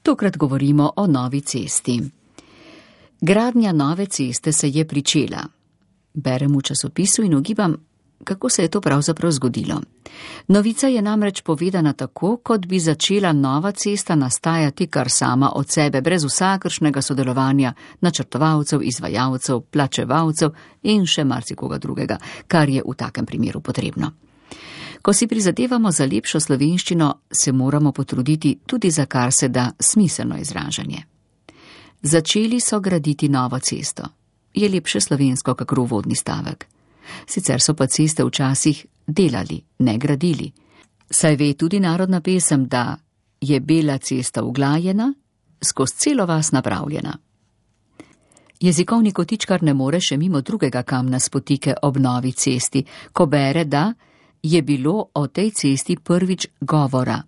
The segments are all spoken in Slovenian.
Tokrat govorimo o novi cesti. Gradnja nove ceste se je pričela. Berem v časopisu in ugibam, kako se je to pravzaprav zgodilo. Novica je namreč povedana tako, kot bi začela nova cesta nastajati kar sama od sebe, brez vsakršnega sodelovanja načrtovalcev, izvajalcev, plačevalcev in še marsikoga drugega, kar je v takem primeru potrebno. Ko si prizadevamo za lepšo slovenščino, se moramo potruditi tudi za kar se da smiselno izražanje. Začeli so graditi novo cesto. Je lepše slovensko kakor uvodni stavek. Sicer so pa ceste včasih delali, ne gradili. Saj ve tudi narodna pesem, da je bela cesta uglajena, skozi celo vas napravljena. Jezikovni kotičkar ne more še mimo drugega kamna spotike ob novi cesti, ko bere, da je bilo o tej cesti prvič govora.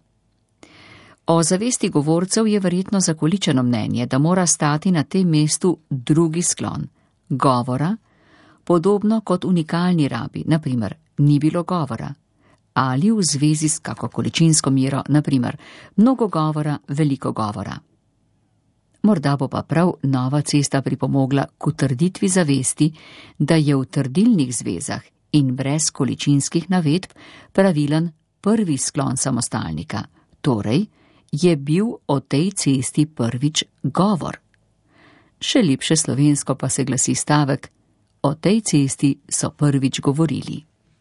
O zavesti govorcev je verjetno zakoličeno mnenje, da mora stati na tem mestu drugi sklon, govora, podobno kot unikalni rabi, naprimer, ni bilo govora, ali v zvezi s kako količinsko mero, naprimer, mnogo govora, veliko govora. Morda bo pa prav nova cesta pripomogla k utrditvi zavesti, da je v trdilnih zvezah in brez količinskih navedb pravilen prvi sklon samostalnika, torej je bil o tej cesti prvič govor. Še lepše slovensko pa se glasi stavek: o tej cesti so prvič govorili.